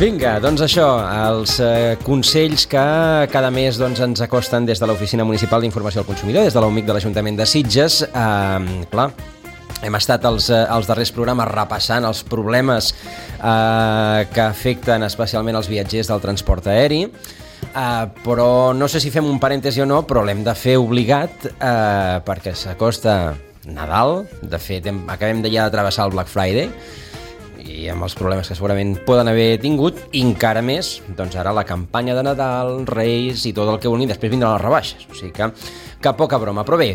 Vinga, doncs això, els consells que cada mes ens acosten des de l'Oficina Municipal d'Informació al Consumidor, des de l'UMIC de l'Ajuntament de Sitges. Clar, hem estat els darrers programes repassant els problemes que afecten especialment els viatgers del transport aeri, però no sé si fem un parèntesi o no, però l'hem de fer obligat perquè s'acosta Nadal. De fet, acabem ja de travessar el Black Friday i amb els problemes que segurament poden haver tingut, i encara més, doncs ara la campanya de Nadal, Reis i tot el que vulguin, després vindran les rebaixes, o sigui que poca broma. Però bé,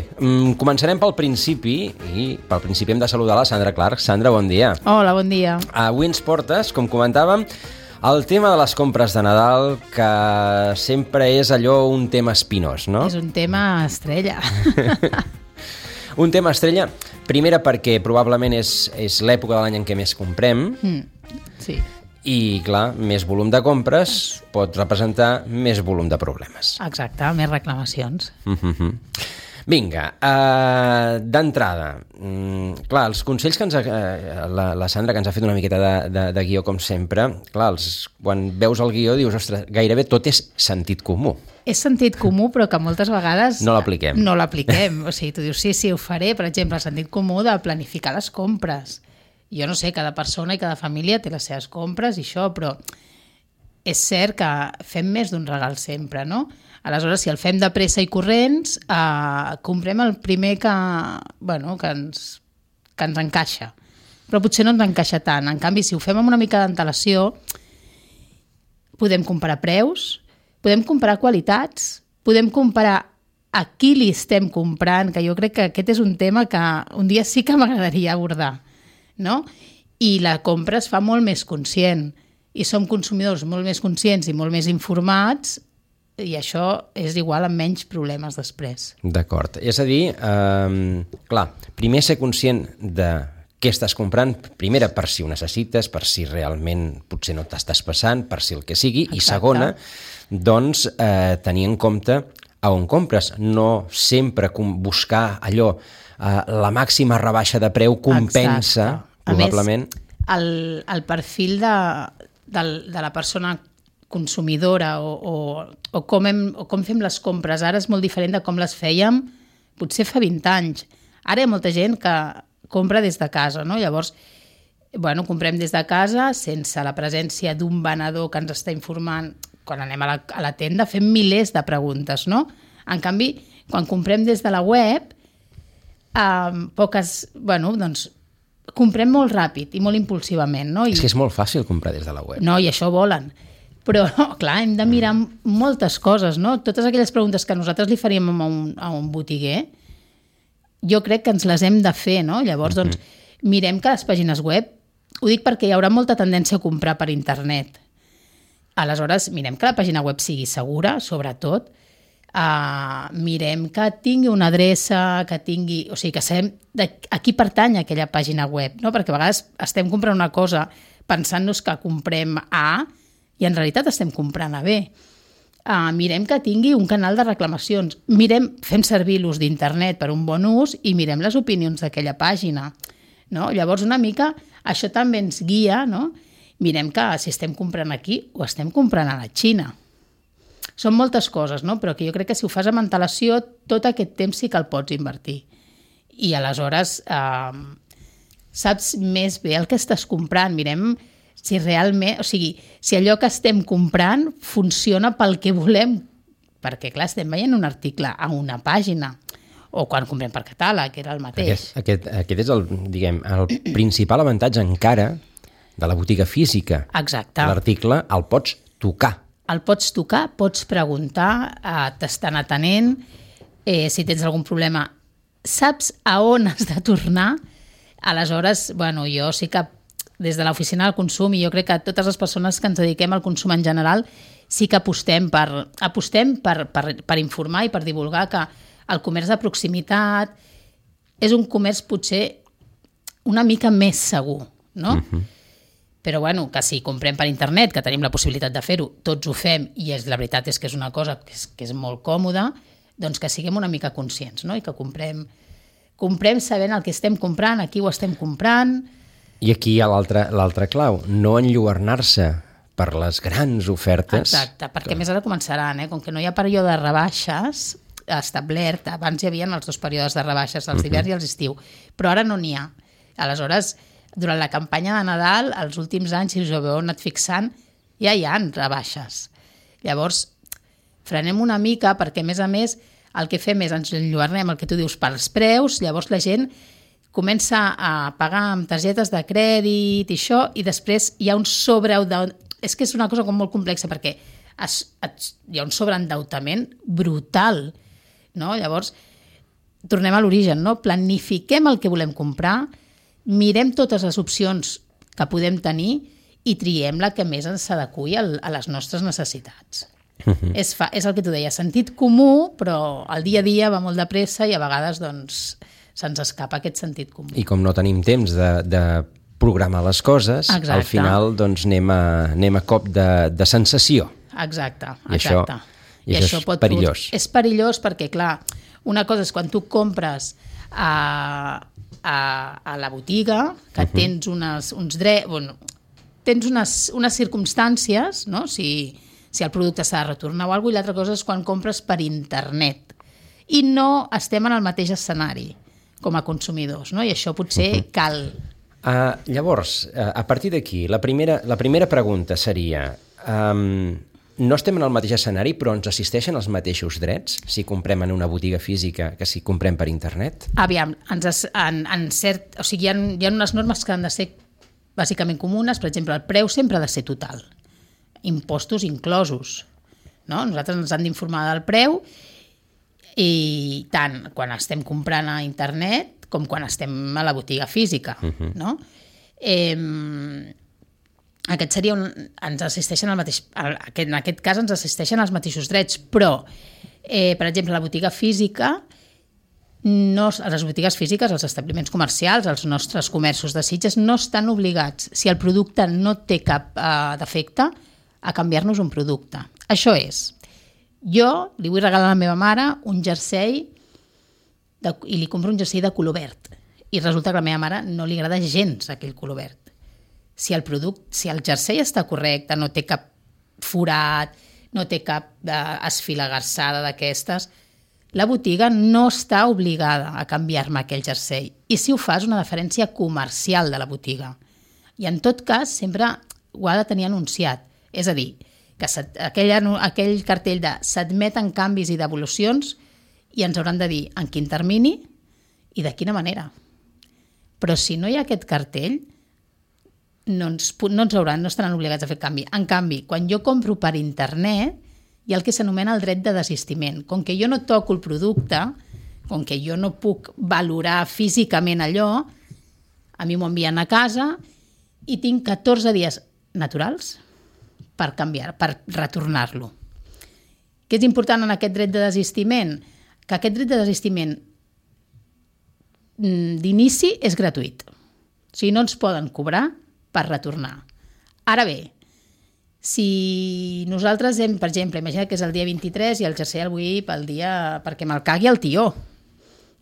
començarem pel principi, i pel principi hem de saludar la Sandra Clark. Sandra, bon dia. Hola, bon dia. Avui ens portes, com comentàvem, el tema de les compres de Nadal, que sempre és allò un tema espinós, no? És un tema estrella. Un tema estrella, primera perquè probablement és l'època de l'any en què més comprem, Sí. i clar, més volum de compres pot representar més volum de problemes. Exacte, més reclamacions. Vinga, d'entrada, clar, els consells que la Sandra, que ens ha fet una miqueta de guió com sempre, clar, quan veus el guió dius, ostres, gairebé tot és sentit comú. És sentit comú, però que moltes vegades no l'apliquem. No l'apliquem. O sigui, tu dius, sí, ho faré, per exemple, el sentit comú de planificar les compres. Jo no sé, cada persona i cada família té les seves compres i això, però és cert que fem més d'un regal sempre, no? Aleshores, si el fem de pressa i corrents, comprem el primer que ens encaixa. Però potser no ens encaixa tant. En canvi, si ho fem amb una mica d'antelació, podem comparar preus, podem comparar qualitats, podem comparar a qui li estem comprant, que jo crec que aquest és un tema que un dia sí que m'agradaria abordar, no? I la compra es fa molt més conscient, i som consumidors molt més conscients i molt més informats, i això és igual amb menys problemes després. D'acord. És a dir, clar, primer ser conscient de què estàs comprant, primera per si ho necessites, per si realment potser no t'estàs passant, per si el que sigui. Exacte. I segona, doncs tenir en compte a on compres, no sempre buscar allò, la màxima rebaixa de preu compensa. Exacte. Probablement. A més, el perfil de la persona consumidora o com fem les compres ara és molt diferent de com les fèiem potser fa 20 anys. Ara hi ha molta gent que compra des de casa, no? Llavors, comprem des de casa sense la presència d'un venedor que ens està informant. Quan anem a la tenda fem milers de preguntes, no? En canvi, quan comprem des de la web, comprem molt ràpid i molt impulsivament, no? És que és molt fàcil comprar des de la web. No, i això volen. Però, clar, hem de mirar moltes coses, no? Totes aquelles preguntes que nosaltres li faríem a un botiguer, jo crec que ens les hem de fer, no? Llavors, mirem que les pàgines web, ho dic perquè hi haurà molta tendència a comprar per internet. Aleshores, mirem que la pàgina web sigui segura, sobretot, mirem que tingui una adreça, que tingui... O sigui, que sabem a qui pertany aquella pàgina web, no? Perquè a vegades estem comprant una cosa pensant-nos que comprem A i en realitat estem comprant a B. Mirem que tingui un canal de reclamacions. Fem servir l'ús d'internet per un bon ús i mirem les opinions d'aquella pàgina, no? Llavors, una mica, això també ens guia, no? Mirem que si estem comprant aquí o estem comprant a la Xina. Són moltes coses, no? Però que jo crec que si ho fas amb antelació, tot aquest temps sí que el pots invertir. I aleshores saps més bé el que estàs comprant. Mirem si realment, o sigui, si allò que estem comprant funciona pel que volem, perquè clar, estem veient un article a una pàgina, o quan comprem per catàleg, que era el mateix. Aquest és el principal avantatge encara de la botiga física. Exacte. L'article el pots tocar. El pots tocar, pots preguntar, t'estan atenent, si tens algun problema, saps a on has de tornar. Aleshores, jo sí que des de l'oficina del consum, i jo crec que totes les persones que ens dediquem al consum en general, sí que apostem per informar i per divulgar que el comerç de proximitat és un comerç potser una mica més segur, no? Però que si comprem per internet, que tenim la possibilitat de fer-ho, tots ho fem, i la veritat és que és una cosa que és molt còmoda, doncs que siguem una mica conscients, no? I que comprem sabent el que estem comprant, a qui ho estem comprant. I aquí hi ha l'altra clau, no enlluernar-se per les grans ofertes. Exacte, perquè més ara començaran, com que no hi ha període de rebaixes establert, abans hi havia els 2 períodes de rebaixes, els d'hivern i els d'estiu, però ara no n'hi ha. Aleshores, durant la campanya de Nadal, els últims anys, si us ho heu anat fixant, ja hi ha rebaixes. Llavors, frenem una mica perquè, a més, el que fem és ens enlluernem el que tu dius pels preus, llavors la gent comença a pagar amb targetes de crèdit i això, i després hi ha un és que és una cosa com molt complexa perquè hi ha un sobreendeutament brutal, no? Llavors, tornem a l'origen, no? Planifiquem el que volem comprar, mirem totes les opcions que podem tenir i triem la que més ens s'adequi a les nostres necessitats. És el que tu deies, sentit comú, però el dia a dia va molt de pressa i a vegades doncs, se'ns escapa aquest sentit comú. I com no tenim temps de programar les coses, exacte, al final doncs, anem a cop de sensació. Exacte. I això és perillós. És perillós perquè, clar, una cosa és quan tu compres a la botiga, que tens tens unes circumstàncies, no? Si el producte s'ha de retornar o alguna cosa, i l'altra cosa és quan compres per internet. I no estem en el mateix escenari com a consumidors, no? I això potser cal. Llavors, a partir d'aquí, la primera pregunta seria... no estem en el mateix escenari, però ens assisteixen els mateixos drets si comprem en una botiga física que si comprem per internet? Aviam, hi ha unes normes que han de ser bàsicament comunes. Per exemple, el preu sempre ha de ser total, impostos inclosos, no? Nosaltres ens han d'informar del preu, i tant quan estem comprant a internet com quan estem a la botiga física, no? Aquest seria ens assisteixen al mateix, en aquest cas ens assisteixen als mateixos drets, però, per exemple, la botiga física, a les botigues físiques, els establiments comercials, els nostres comerços de Sitges, no estan obligats, si el producte no té cap defecte, a canviar-nos un producte. Això és, jo li vull regalar a la meva mare un jersei i li compro un jersei de color verd, i resulta que a la meva mare no li agrada gens aquell color verd. Si el jersei està correcte, no té cap forat, no té cap esfilagarsada d'aquestes, la botiga no està obligada a canviar-me aquell jersei. I si ho fa és una deferència comercial de la botiga. I en tot cas sempre ho ha de tenir anunciat. És a dir, que aquell cartell de s'admeten canvis i devolucions, i ens hauran de dir en quin termini i de quina manera. Però si no hi ha aquest cartell, no estaran obligats a fer canvi. En canvi, quan jo compro per internet, hi ha el que s'anomena el dret de desistiment. Com que jo no toco el producte, com que jo no puc valorar físicament allò, a mi m'ho envien a casa i tinc 14 dies naturals per canviar, per retornar-lo. Què és important en aquest dret de desistiment? Que aquest dret de desistiment d'inici és gratuït. O sigui, no ens poden cobrar per retornar. Ara bé, si nosaltres hem, per exemple, imagina que és el dia 23 i el jersei el vull perquè me'l cagui el tió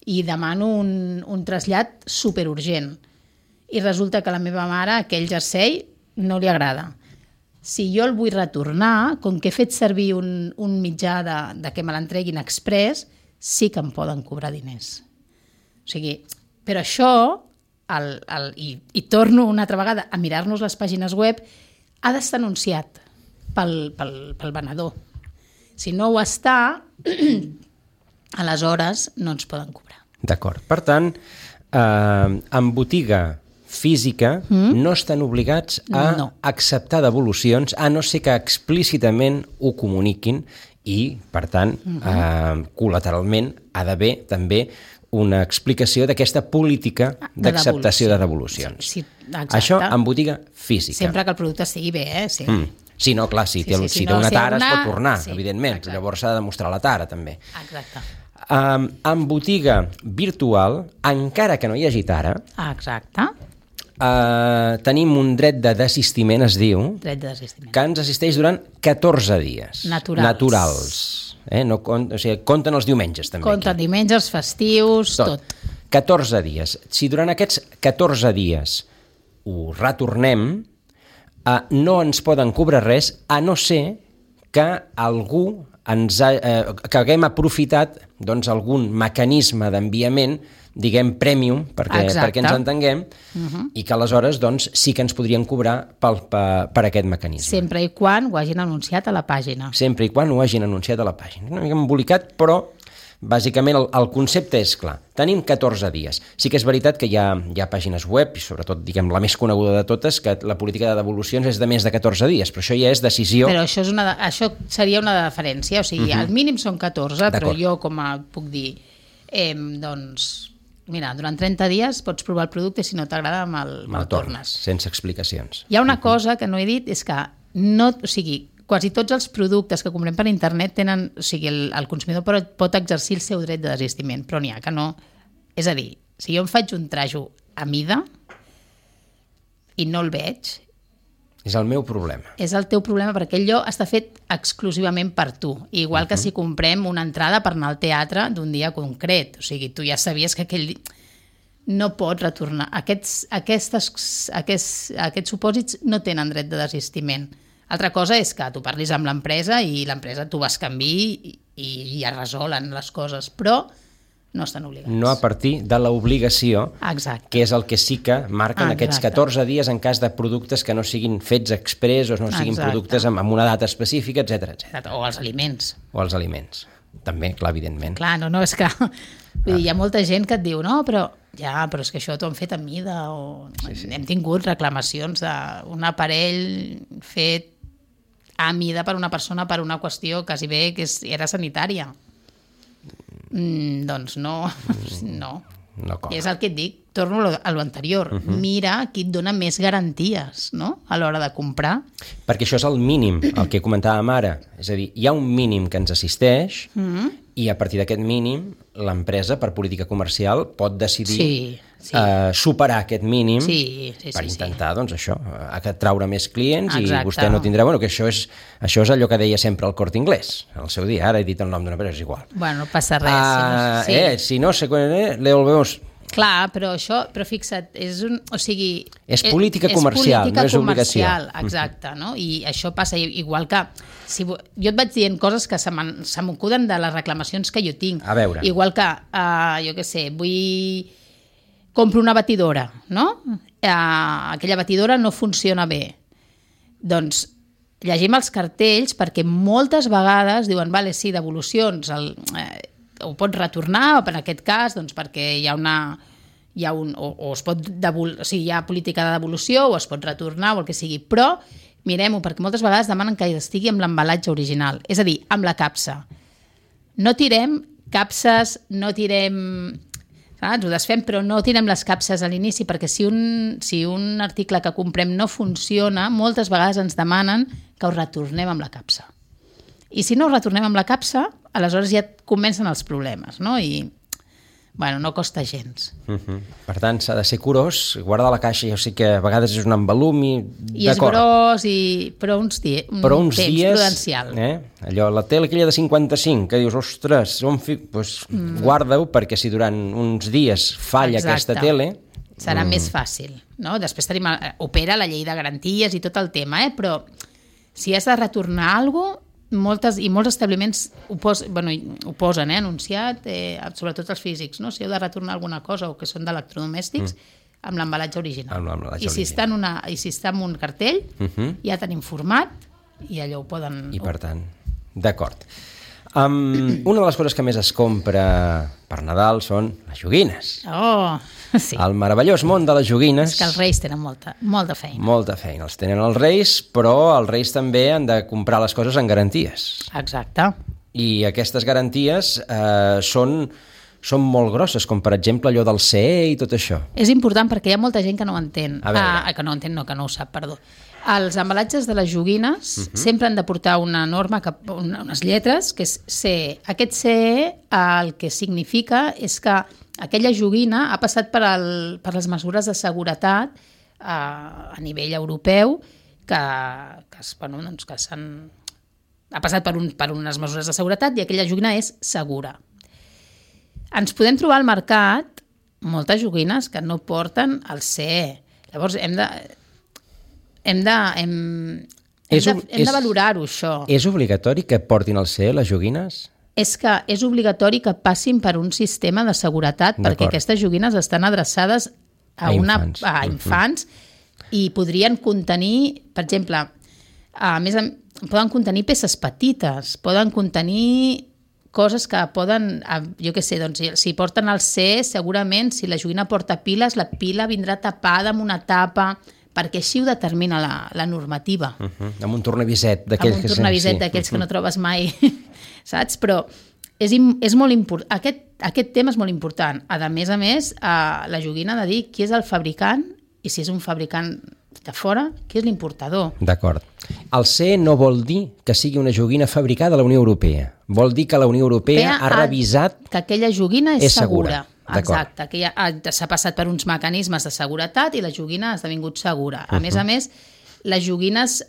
i demano un trasllat superurgent i resulta que a la meva mare aquell jersei no li agrada. Si jo el vull retornar, com que he fet servir un mitjà de que me l'entreguin express, sí que em poden cobrar diners. O sigui, però això, i torno una altra vegada a mirar-nos les pàgines web, ha d'estar anunciat pel venedor. Si no ho està, aleshores no ens poden cobrar. D'acord. Per tant, en botiga física no estan obligats a acceptar devolucions, a no ser que explícitament ho comuniquin i, per tant, col·lateralment ha d'haver també una explicació d'aquesta política d'acceptació de devolucions. Sí, això en botiga física. Sempre que el producte estigui bé, sí. Sí, no, clar, si té una tara es pot tornar, evidentment. Llavors s'ha de demostrar la tara, també. Exacte. En botiga virtual, encara que no hi hagi tara, tenim un dret de desistiment, es diu, que ens assisteix durant 14 dies. Naturals. O sigui, compten els diumenges, també. Compten diumenges, festius, tot. 14 dies. Si durant aquests 14 dies ho retornem, no ens poden cobrar res, a no ser que algú que haguem aprofitat doncs, algun mecanisme d'enviament, diguem, premium, perquè ens entenguem, i que aleshores doncs, sí que ens podrien cobrar per aquest mecanisme. Sempre i quan ho hagin anunciat a la pàgina. Sempre i quan ho hagin anunciat a la pàgina. Una mica embolicat, però bàsicament el concepte és clar. Tenim 14 dies. Sí que és veritat que hi ha pàgines web, i sobretot diguem la més coneguda de totes, que la política de devolucions és de més de 14 dies, però això ja és decisió... Però això seria una deferència, o sigui, el mínim són 14, però jo com puc dir, doncs... Mira, durant 30 dies pots provar el producte i si no t'agrada me'l tornes. Sense explicacions. Hi ha una cosa que no he dit, és que quasi tots els productes que comprem per internet tenen... O sigui, el consumidor pot exercir el seu dret de desistiment, però n'hi ha que no. És a dir, si jo em faig un trajo a mida i no el veig... És el meu problema. És el teu problema, perquè allò està fet exclusivament per tu. Igual que si comprem una entrada per anar al teatre d'un dia concret. O sigui, tu ja sabies que aquell dia no pots retornar. Aquests supòsits no tenen dret de desistiment. Altra cosa és que tu parlis amb l'empresa i l'empresa tu vas canviar i ja resolen les coses, però no estan obligats. No a partir de l'obligació, que és el que sí que marquen aquests 14 dies en cas de productes que no siguin fets express o no siguin productes amb una data específica, etc. O els aliments. O els aliments. També, clar, evidentment. Clar, no, és que hi ha molta gent que et diu però és que això t'ho han fet a mida, o hem tingut reclamacions d'un aparell fet a mida per una persona per una qüestió quasi bé que era sanitària. Doncs no. I és el que et dic, torno a l'anterior. Mira qui et dona més garanties, no?, a l'hora de comprar. Perquè això és el mínim, el que comentàvem ara. És a dir, hi ha un mínim que ens assisteix i a partir d'aquest mínim l'empresa, per política comercial, pot decidir superar aquest mínim per intentar, doncs això, traure més clients i vostè no tindrà... Bueno, que això és allò que deia sempre el Corte Inglés, al seu dia. Ara he dit el nom d'una empresa, és igual. Bueno, no passa res. Si no se le volvemos... Clar, però fixa't, és política comercial, no és obligació. Exacte, no? I això passa igual que... Jo et vaig dient coses que se m'acuden de les reclamacions que jo tinc. A veure. Igual que, jo què sé, compro una batidora, no? Aquella batidora no funciona bé. Doncs llegim els cartells perquè moltes vegades diuen, vale, sí, devolucions, ho pots retornar, o en aquest cas, doncs perquè hi ha política de devolució, o es pot retornar, o el que sigui, però mirem-ho, perquè moltes vegades demanen que estigui amb l'embalatge original, és a dir, amb la capsa. No tirem capses, no tirem... Saps? Ho desfem, però no tirem les capses a l'inici, perquè si un article que comprem no funciona, moltes vegades ens demanen que ho retornem amb la capsa. I si no ho retornem amb la capsa, aleshores ja comencen els problemes, no? I, bueno, no costa gens. Per tant, s'ha de ser curós, guardar la caixa, jo sé que a vegades és un embalum i és gros, però uns temps prudencial. Allò, la tele aquella de 55, que dius, ostres, guarda-ho, perquè si durant uns dies falla aquesta tele... Serà més fàcil, no? Després opera la llei de garanties i tot el tema, però si has de retornar alguna cosa, molts establiments ho posen anunciat, sobretot els físics, no? Si heu de retornar alguna cosa o que són d'electrodomèstics, amb l'embalatge original. I si està en un cartell, ja tenim format i allò ho poden... I per tant, d'acord. Una de les coses que més es compra per Nadal són les joguines. Sí. El meravellós món de les joguines. És que els Reis tenen molta feina. Molta feina. Els tenen els Reis, però els Reis també han de comprar les coses en garanties. Exacte. I aquestes garanties són molt grosses, com per exemple allò del CE i tot això. És important perquè hi ha molta gent que no ho entén. Que no ho sap, perdó. Els embalatges de les joguines sempre han de portar una norma, unes lletres, que és CE. Aquest CE el que significa és que aquella joguina ha passat per les mesures de seguretat a nivell europeu que ha passat per unes mesures de seguretat i aquella joguina és segura. Ens podem trobar al mercat moltes joguines que no porten el CE. Llavors hem de valorar-ho, això. És obligatori que portin al CE les joguines? És que és obligatori que passin per un sistema de seguretat perquè aquestes joguines estan adreçades a infants i podrien contenir, per exemple, poden contenir peces petites, poden contenir coses que poden, jo què sé, doncs, si porten el C, segurament, si la joguina porta piles, la pila vindrà tapada amb una tapa, perquè així ho determina la normativa. Amb un tornaviset d'aquells que... Amb un tornaviset d'aquells que no trobes mai, saps? Però és molt important. Aquest tema és molt important. A més, la joguina ha de dir qui és el fabricant i si és un fabricant de fora, qui és l'importador. D'acord. El CE no vol dir que sigui una joguina fabricada a la Unió Europea. Vol dir que la Unió Europea ha revisat... Que aquella joguina és segura. Exacte, que s'ha passat per uns mecanismes de seguretat i la joguina ha esdevingut segura. A més, les joguines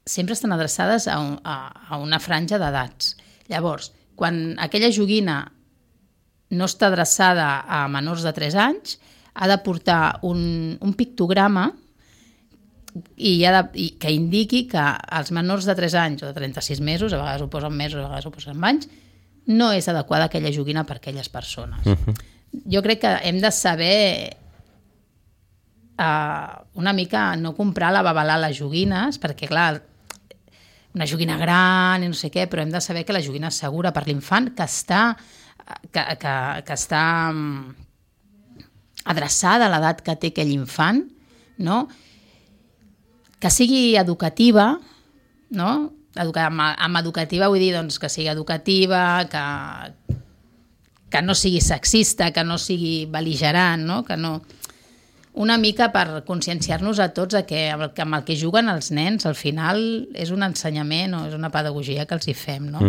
sempre estan adreçades a una franja d'edats. Llavors, quan aquella joguina no està adreçada a menors de 3 anys, ha de portar un pictograma que indiqui que als menors de 3 anys o de 36 mesos, a vegades ho posen mesos, a vegades ho posen anys, no és adequada aquella joguina per a aquelles persones. Jo crec que hem de saber una mica no comprar la babalà a les joguines, perquè clar, una joguina gran i no sé què, però hem de saber que la joguina és segura per l'infant, que està adreçada a l'edat que té aquell infant, no? Que sigui educativa, no? Amb educativa vull dir doncs, que sigui educativa, que no sigui sexista, que no sigui bel·ligerant, no? Que no... Una mica per conscienciar-nos a tots que amb el que juguen els nens al final és un ensenyament o és una pedagogia que els hi fem, no?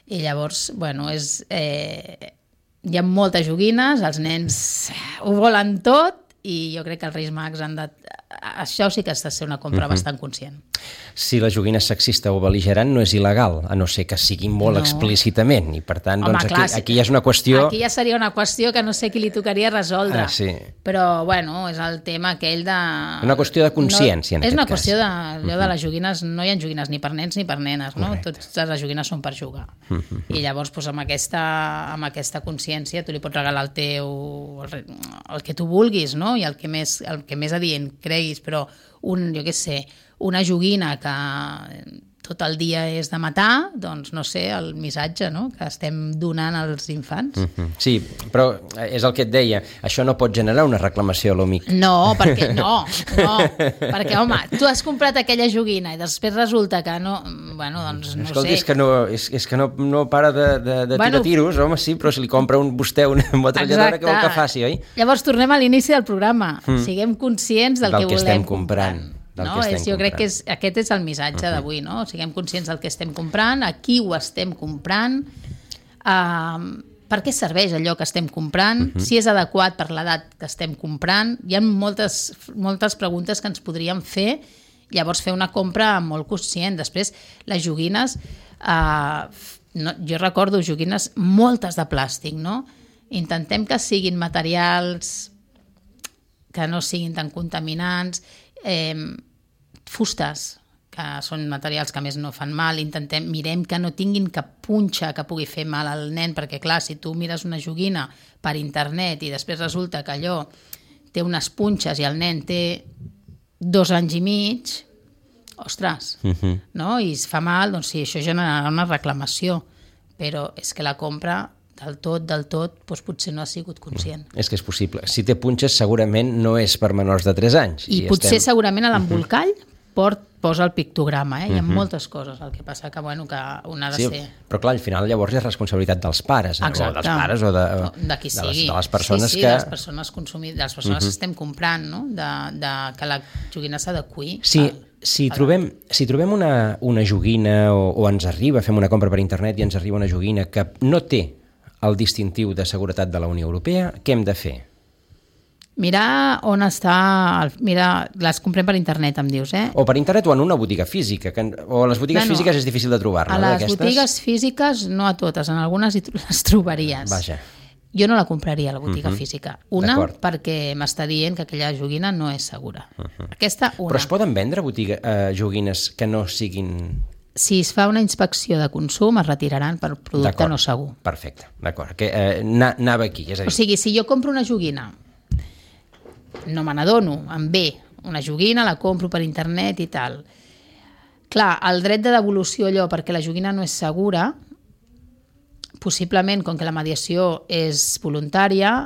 I llavors, bueno, hi ha moltes joguines, els nens ho volen tot i jo crec que els Reis Mags han de... Això sí que has de ser una compra bastant conscient. Si la joguina és sexista o bel·ligerant no és il·legal, a no ser que sigui molt explícitament, i per tant, doncs, aquí ja és una qüestió... Aquí ja seria una qüestió que no sé qui li tocaria resoldre. Sí. Però, bueno, és el tema aquell de... Una qüestió de consciència, en aquest cas. És una qüestió de les joguines, no hi ha joguines ni per nens ni per nenes, no? Totes les joguines són per jugar. I llavors, doncs, amb aquesta consciència, tu li pots regalar el que tu vulguis, no? I el que més adient creguis, però jo què sé, una joguina que tot el dia és de matar, doncs no sé, el missatge, no?, que estem donant als infants. Sí, però és el que et deia, això no pot generar una reclamació a l'OMIC. No, perquè perquè, home, tu has comprat aquella joguina i després resulta que no... Bueno, doncs no Escolti, sé. és que no para de tirar tiros, home, sí, però si li compra vostè una metralladora, què vol que faci, oi? Llavors tornem a l'inici del programa. Siguem conscients del que volem estem comprant. Jo crec que aquest és el missatge d'avui, no? Siguem conscients del que estem comprant, a qui ho estem comprant, per què serveix allò que estem comprant, si és adequat per l'edat que estem comprant. Hi ha moltes preguntes que ens podríem fer, llavors fer una compra molt conscient. Després, les joguines, jo recordo joguines moltes de plàstic, no? Intentem que siguin materials que no siguin tan contaminants, fustes, que són materials que a més no fan mal, mirem que no tinguin cap punxa que pugui fer mal al nen, perquè clar, si tu mires una joguina per internet i després resulta que allò té unes punxes i el nen té 2 anys i mig, ostres, no? I es fa mal, doncs sí, això generarà una reclamació, però és que la compra del tot, doncs potser no ha sigut conscient. És que és possible. Si té punxes, segurament no és per menors de 3 anys. I potser segurament a l'embolcall posa el pictograma, Hi ha moltes coses, el que passa que, bueno, que una ha de ser... Però clar, al final llavors és responsabilitat dels pares, o dels pares o de qui sigui. De les persones que... de les persones consumidores, de les persones que estem comprant, no? Que la joguina s'adeqüi. Si trobem una joguina o ens arriba, fem una compra per internet i ens arriba una joguina que no té el distintiu de seguretat de la Unió Europea, què hem de fer? Mirar on està... Mira, les comprem per internet, em dius, O per internet o en una botiga física, o a les botigues físiques és difícil de trobar-ne. A les botigues físiques no a totes, en algunes les trobaries. Vaja. Jo no la compraria a la botiga física. Una, perquè m'està dient que aquella joguina no és segura. Aquesta, una. Però es poden vendre joguines que no siguin... Si es fa una inspecció de consum, es retiraran per producte no segur. Perfecte, d'acord. Anava aquí, és a dir... O sigui, si jo compro una joguina, no me n'adono, em ve una joguina, la compro per internet i tal. Clar, el dret de devolució allò perquè la joguina no és segura, possiblement, com que la mediació és voluntària,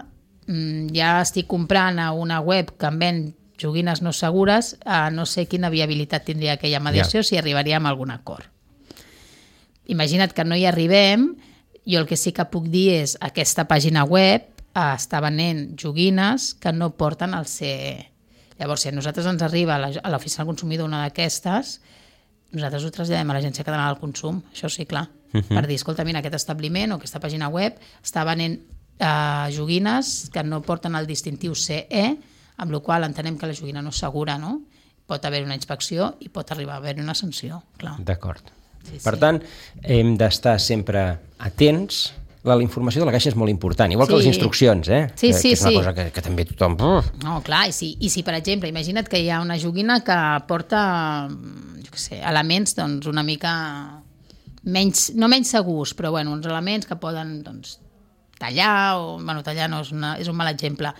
ja estic comprant a una web que em ven joguines no segures, no sé quina viabilitat tindria aquella mediació, si arribaríem a algun acord. Imagina't que no hi arribem, jo el que sí que puc dir és aquesta pàgina web està venent joguines que no porten el CE. Llavors, si a nosaltres ens arriba a l'oficina del consumidor una d'aquestes, nosaltres ho traslladem a l'Agència Catalana del Consum, això sí, clar, per dir, escolta, mira, aquest establiment o aquesta pàgina web està venent joguines que no porten el distintiu CE, amb la qual entenem que la joguina no és segura, no? Pot haver una inspecció i pot arribar a haver una sanció, clar. D'acord. Per tant, hem d'estar sempre atents. La informació de la caixa és molt important, igual que les instruccions, que és una cosa que també tothom... No, clar, i si per exemple, imagina't que hi ha una joguina que porta, jo què sé, elements doncs, una mica menys, no menys segurs, però bueno, uns elements que poden doncs, tallar, o bueno, tallar no és un mal exemple.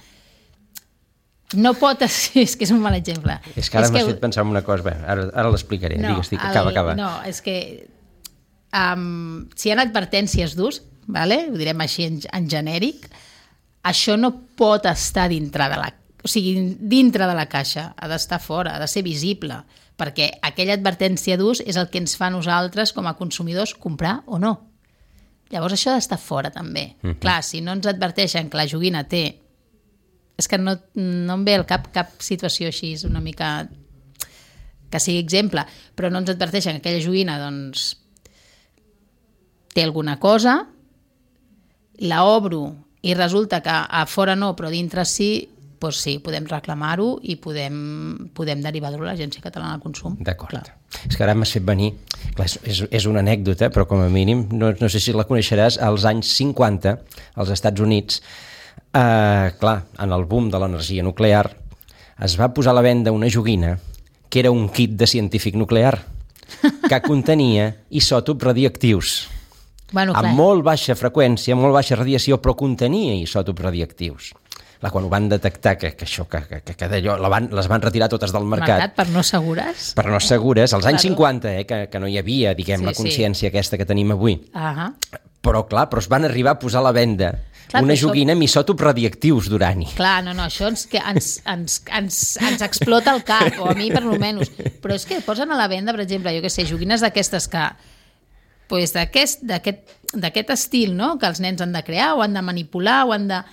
No pot... És que és un mal exemple. És que ara m'has fet pensar en una cosa. Bé, ara l'explicaré. No, digues, acaba. No, és que si hi ha advertències d'ús, vale? Ho direm així en genèric, això no pot estar dintre de la caixa, ha d'estar fora, ha de ser visible, perquè aquella advertència d'ús és el que ens fa a nosaltres com a consumidors comprar o no. Llavors això ha d'estar fora també. Clar, si no ens adverteixen que la joguina té... És que no em ve al cap situació així, és una mica que sigui exemple, però no ens adverteixen que aquella joguina doncs, té alguna cosa, la obro i resulta que a fora no, però dintre sí, doncs sí, podem reclamar-ho i podem derivar-ho a l'Agència Catalana del Consum. D'acord. Clar. És que ara m'has fet venir, clar, és una anècdota, però com a mínim, no sé si la coneixeràs, als anys 50, als Estats Units, clar, en el boom de l'energia nuclear, es va posar a la venda una joguina que era un kit de científic nuclear que contenia isòtops radioactius. Bueno, amb molt baixa freqüència, molt baixa radiació, però contenia isòtops radioactius. Quan ho van detectar, que les van retirar totes del mercat. Per no segures? Per no segures, als anys 50, que no hi havia, diguem, la consciència aquesta que tenim avui. Però, clar, es van arribar a posar a la venda una joguina amb isòtops radioactius d'urani. Clar, no, això ens explota el cap, o a mi per almenys. Però és que posen a la venda, per exemple, jo què sé, joguines d'aquestes que pues, d'aquest estil, no?, que els nens han de crear o han de manipular o han de...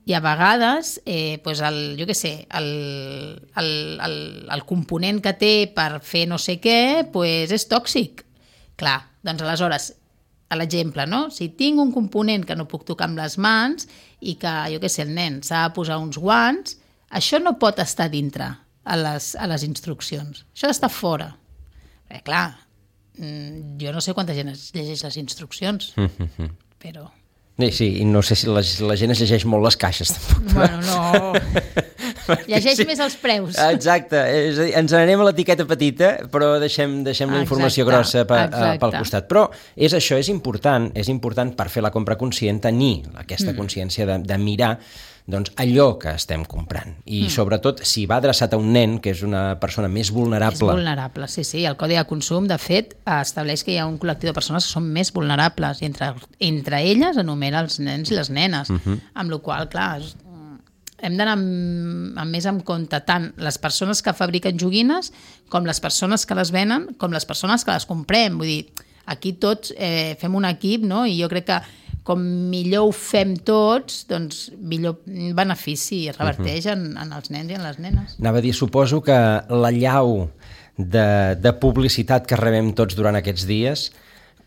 I a vegades, pues jo què sé, el component que té per fer no sé què pues és tòxic. Clar, doncs aleshores, a l'exemple, no? Si tinc un component que no puc tocar amb les mans i que, jo què sé, el nen s'ha de posar uns guants, això no pot estar dintre a les instruccions. Això ha d'estar fora. Perquè, clar, jo no sé quanta gent es llegeix les instruccions, però... Sí, i no sé si la gent es llegeix molt les caixes, tampoc. Bueno, no... Llegeix més els preus. Exacte, és a dir, ens n'anem a l'etiqueta petita, però deixem la informació grossa pel costat. Però és això, és important per fer la compra conscient, tenir aquesta consciència de mirar doncs, allò que estem comprant. I sobretot, si va adreçat a un nen, que és una persona més vulnerable... És vulnerable, sí. El Codi de Consum, de fet, estableix que hi ha un col·lectiu de persones que són més vulnerables i entre elles enumera els nens i les nenes. Amb la qual cosa, clar, hem d'anar més en compte tant les persones que fabriquen joguines com les persones que les venen, com les persones que les comprem. Vull dir, aquí tots fem un equip, no? I jo crec que com millor ho fem tots, doncs millor benefici reverteix en els nens i en les nenes. Anava a dir, suposo que l'allau de publicitat que rebem tots durant aquests dies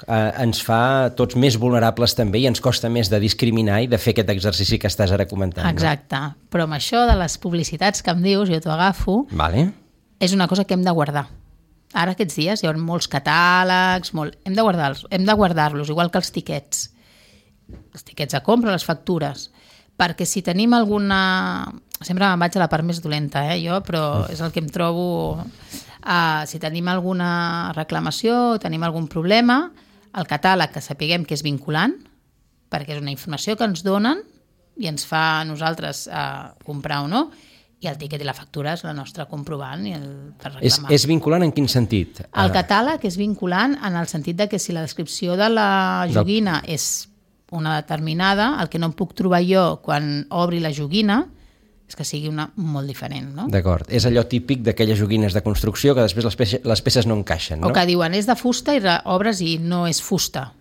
ens fa tots més vulnerables també i ens costa més de discriminar i de fer aquest exercici que estàs ara comentant. Exacte, no? Però amb això de les publicitats que em dius, jo t'ho agafo, és una cosa que hem de guardar. Ara aquests dies hi ha molts catàlegs, hem de guardar-los, igual que els tiquets. els tiquets de compra, les factures, perquè si tenim alguna... Sempre me'n vaig a la part més dolenta, jo, però és el que em trobo... si tenim alguna reclamació, tenim algun problema, el catàleg que sapiguem que és vinculant, perquè és una informació que ens donen i ens fa a nosaltres comprar o no, i el tiquet i la factura és la nostra comprovant per reclamar. És vinculant en quin sentit? El catàleg és vinculant en el sentit de que si la descripció de la joguina és una determinada, el que no em puc trobar jo quan obri la joguina és que sigui una molt diferent, no? D'acord. És allò típic d'aquelles joguines de construcció que després les peces no encaixen, no? O que diuen és de fusta i obres i no és fusta,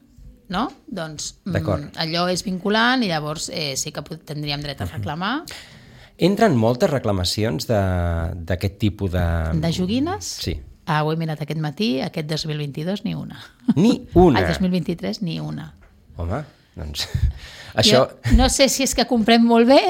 no? Doncs allò és vinculant i llavors sí que tindríem dret a reclamar. Entren moltes reclamacions d'aquest tipus de... De joguines? Sí. Ho he mirat aquest matí, aquest 2022 ni una. Ni una? El 2023 ni una. Home, doncs... Això... Jo no sé si és que comprem molt bé,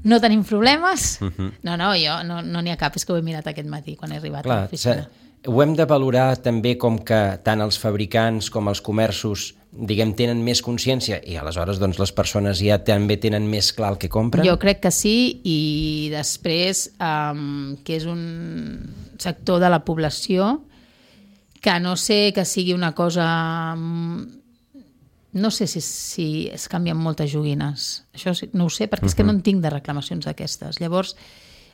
no tenim problemes. No, jo no n'hi ha cap, és que ho he mirat aquest matí quan he arribat a l'oficina. Ho hem de valorar també com que tant els fabricants com els comerços, diguem, tenen més consciència i aleshores doncs, les persones ja també tenen més clar el que compren? Jo crec que sí, i després que és un sector de la població que no sé que sigui una cosa... No sé si es canvien moltes joguines. Això no ho sé, perquè és que no en tinc de reclamacions d'aquestes. Llavors,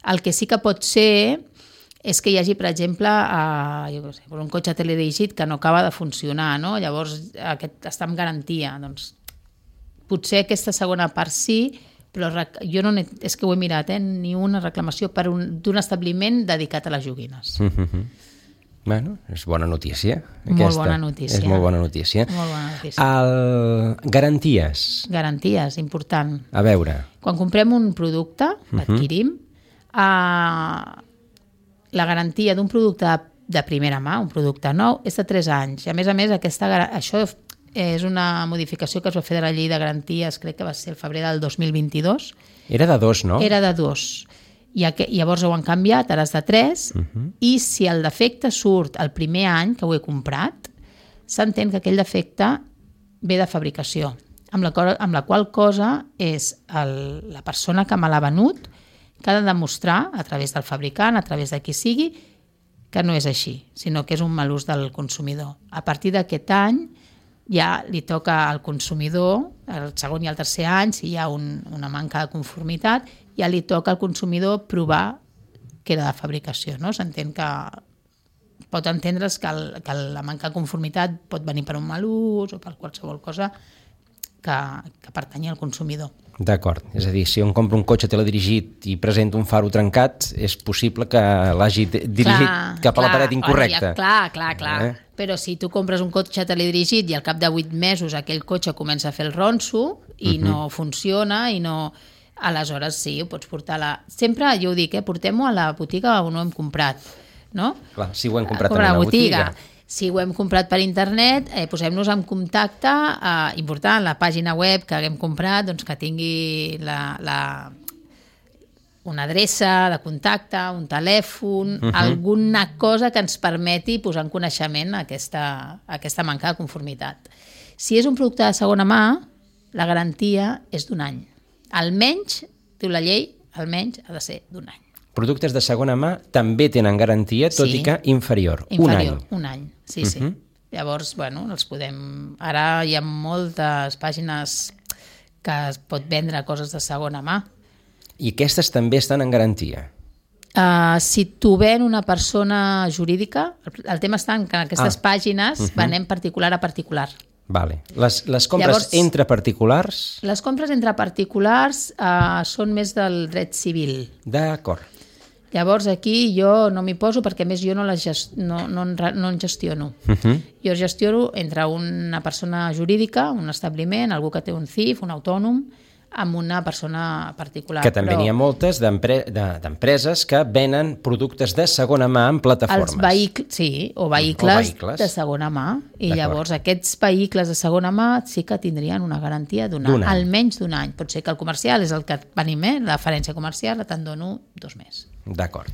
el que sí que pot ser és que hi hagi, per exemple, un cotxe teledirigit que no acaba de funcionar, no? Llavors aquest està en garantia. Doncs, potser aquesta segona part sí, però jo no és que ho he mirat, ni una reclamació d'un establiment dedicat a les joguines. Bueno, és bona notícia. Molt bona notícia. És molt bona notícia. Molt bona notícia. Garanties. Garanties, important. A veure. Quan comprem un producte, l'adquirim, la garantia d'un producte de primera mà, un producte nou, és de 3 anys. I a més, això és una modificació que es va fer de la llei de garanties, crec que va ser el febrer del 2022. Era de 2, no? Era de 2. I llavors ho han canviat, ara és de 3, i si el defecte surt el primer any que ho he comprat, s'entén que aquell defecte ve de fabricació, amb la qual cosa és la persona que me l'ha venut que ha de demostrar, a través del fabricant, a través de qui sigui, que no és així, sinó que és un mal ús del consumidor. A partir d'aquest any ja li toca al consumidor, el segon i el tercer any, si hi ha una manca de conformitat, ja li toca al consumidor provar que era de fabricació, no? S'entén que pot entendre's que la manca de conformitat pot venir per un mal ús o per qualsevol cosa que pertanyi al consumidor. D'acord, és a dir, si un compra un cotxe teledirigit i presenta un faro trencat, és possible que l'hagi dirigit cap a la paret incorrecta. Clar. Però si tu compres un cotxe teledirigit i al cap de 8 mesos aquell cotxe comença a fer el ronso i no funciona i no... Aleshores sí, ho pots portar Sempre, jo ho dic, portem-ho a la botiga on ho hem comprat, no? Clar, si ho hem comprat en una botiga. Si ho hem comprat per internet, posem-nos en contacte, important, la pàgina web que haguem comprat, doncs que tingui una adreça de contacte, un telèfon, alguna cosa que ens permeti posar en coneixement aquesta manca de conformitat. Si és un producte de segona mà, la garantia és d'1 any. Almenys, diu la llei, almenys ha de ser d'1 any. Productes de segona mà també tenen garantia, tot i que inferior. Un any. Sí. Llavors, els podem... Ara hi ha moltes pàgines que es pot vendre coses de segona mà. I aquestes també estan en garantia? Si t'ho ven una persona jurídica, el tema està en que aquestes pàgines venem particular a particular. Vale. Les compres entre particulars? Les compres entre particulars són més del dret civil. D'acord. Llavors aquí jo no m'hi poso perquè més jo no en gestiono. Jo gestiono entre una persona jurídica, un establiment, algú que té un CIF, un autònom, amb una persona particular. Que també n'hi ha moltes d'empreses que venen productes de segona mà en plataformes. Vehicles de segona mà. I llavors aquests vehicles de segona mà sí que tindrien una garantia d'un any, almenys d'1 any. Pot ser que el comercial és el que venim, la referència comercial, te'n dono 2 més. D'acord.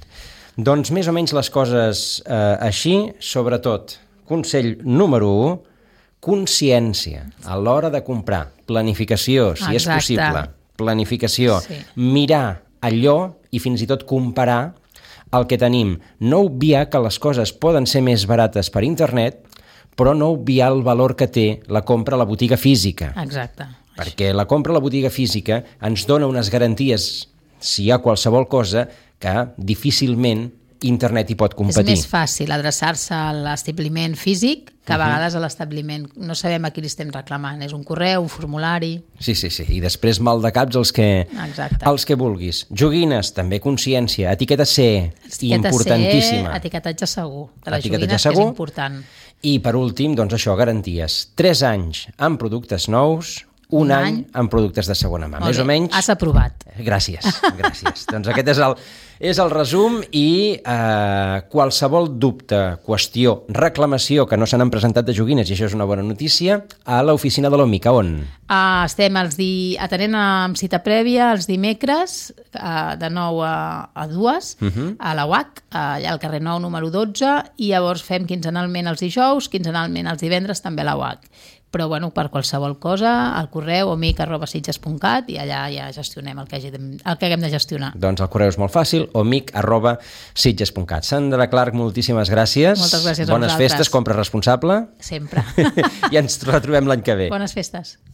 Doncs més o menys les coses així, sobretot, consell número 1, consciència a l'hora de comprar, planificació, si és possible, planificació, mirar allò i fins i tot comparar el que tenim. No obviar que les coses poden ser més barates per internet, però no obviar el valor que té la compra a la botiga física. Exacte. Perquè la compra a la botiga física ens dona unes garanties, si hi ha qualsevol cosa, que difícilment internet hi pot competir. És més fàcil adreçar-se a l'establiment físic que a vegades a l'establiment. No sabem a qui li estem reclamant. És un correu, un formulari... Sí. I després mal de caps els que vulguis. Joguines, també consciència. Etiqueta C, importantíssima. Etiquetatge segur. De les joguines, que és important. I per últim, doncs això, garanties. 3 anys amb productes nous, un any amb productes de segona mà. Més o menys... Has aprovat. Gràcies. Doncs aquest és el resum i qualsevol dubte, qüestió, reclamació que no se n'han presentat de joguines, i això és una bona notícia, a l'oficina de l'OMIC. A on? Estem atenent amb cita prèvia els dimecres de 9 a 2 a la UAC, allà al carrer 9, número 12, i llavors fem quinzenalment els dijous, quinzenalment els divendres també a la UAC. Però, bueno, per qualsevol cosa, al correu omic@sitges.cat, i allà ja gestionem el que haguem de gestionar. Doncs el correu és molt fàcil, omic@sitges.cat. Sandra Clark, moltíssimes gràcies. Moltes gràcies a vosaltres. Bones festes, compra responsable. Sempre. I ens retrobem l'any que ve. Bones festes.